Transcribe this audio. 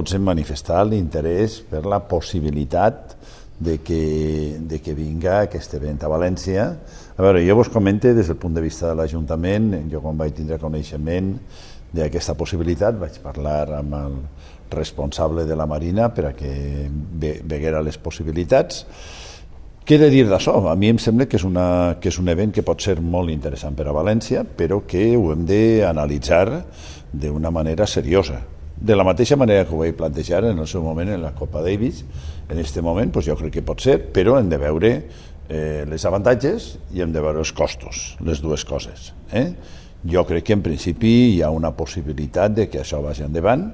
tots hem manifestat l'interès per la possibilitat de que vinga aquest event a València. A veure, jo vos comento des del punt de vista de l'Ajuntament. Jo quan vaig tindre coneixement d'aquesta possibilitat vaig parlar amb el responsable de la Marina per a que veguera les possibilitats. Què he de dir d'això? A mi em sembla que és un event que pot ser molt interessant per a València, però que ho hem d'analitzar d'una manera seriosa. De la mateixa manera que ho vaig plantejar en el seu moment en la Copa Davis, en aquest moment jo crec que pot ser, però hem de veure les avantatges i hem de veure els costos, les dues coses. Jo crec que en principi hi ha una possibilitat de que això vagi endavant.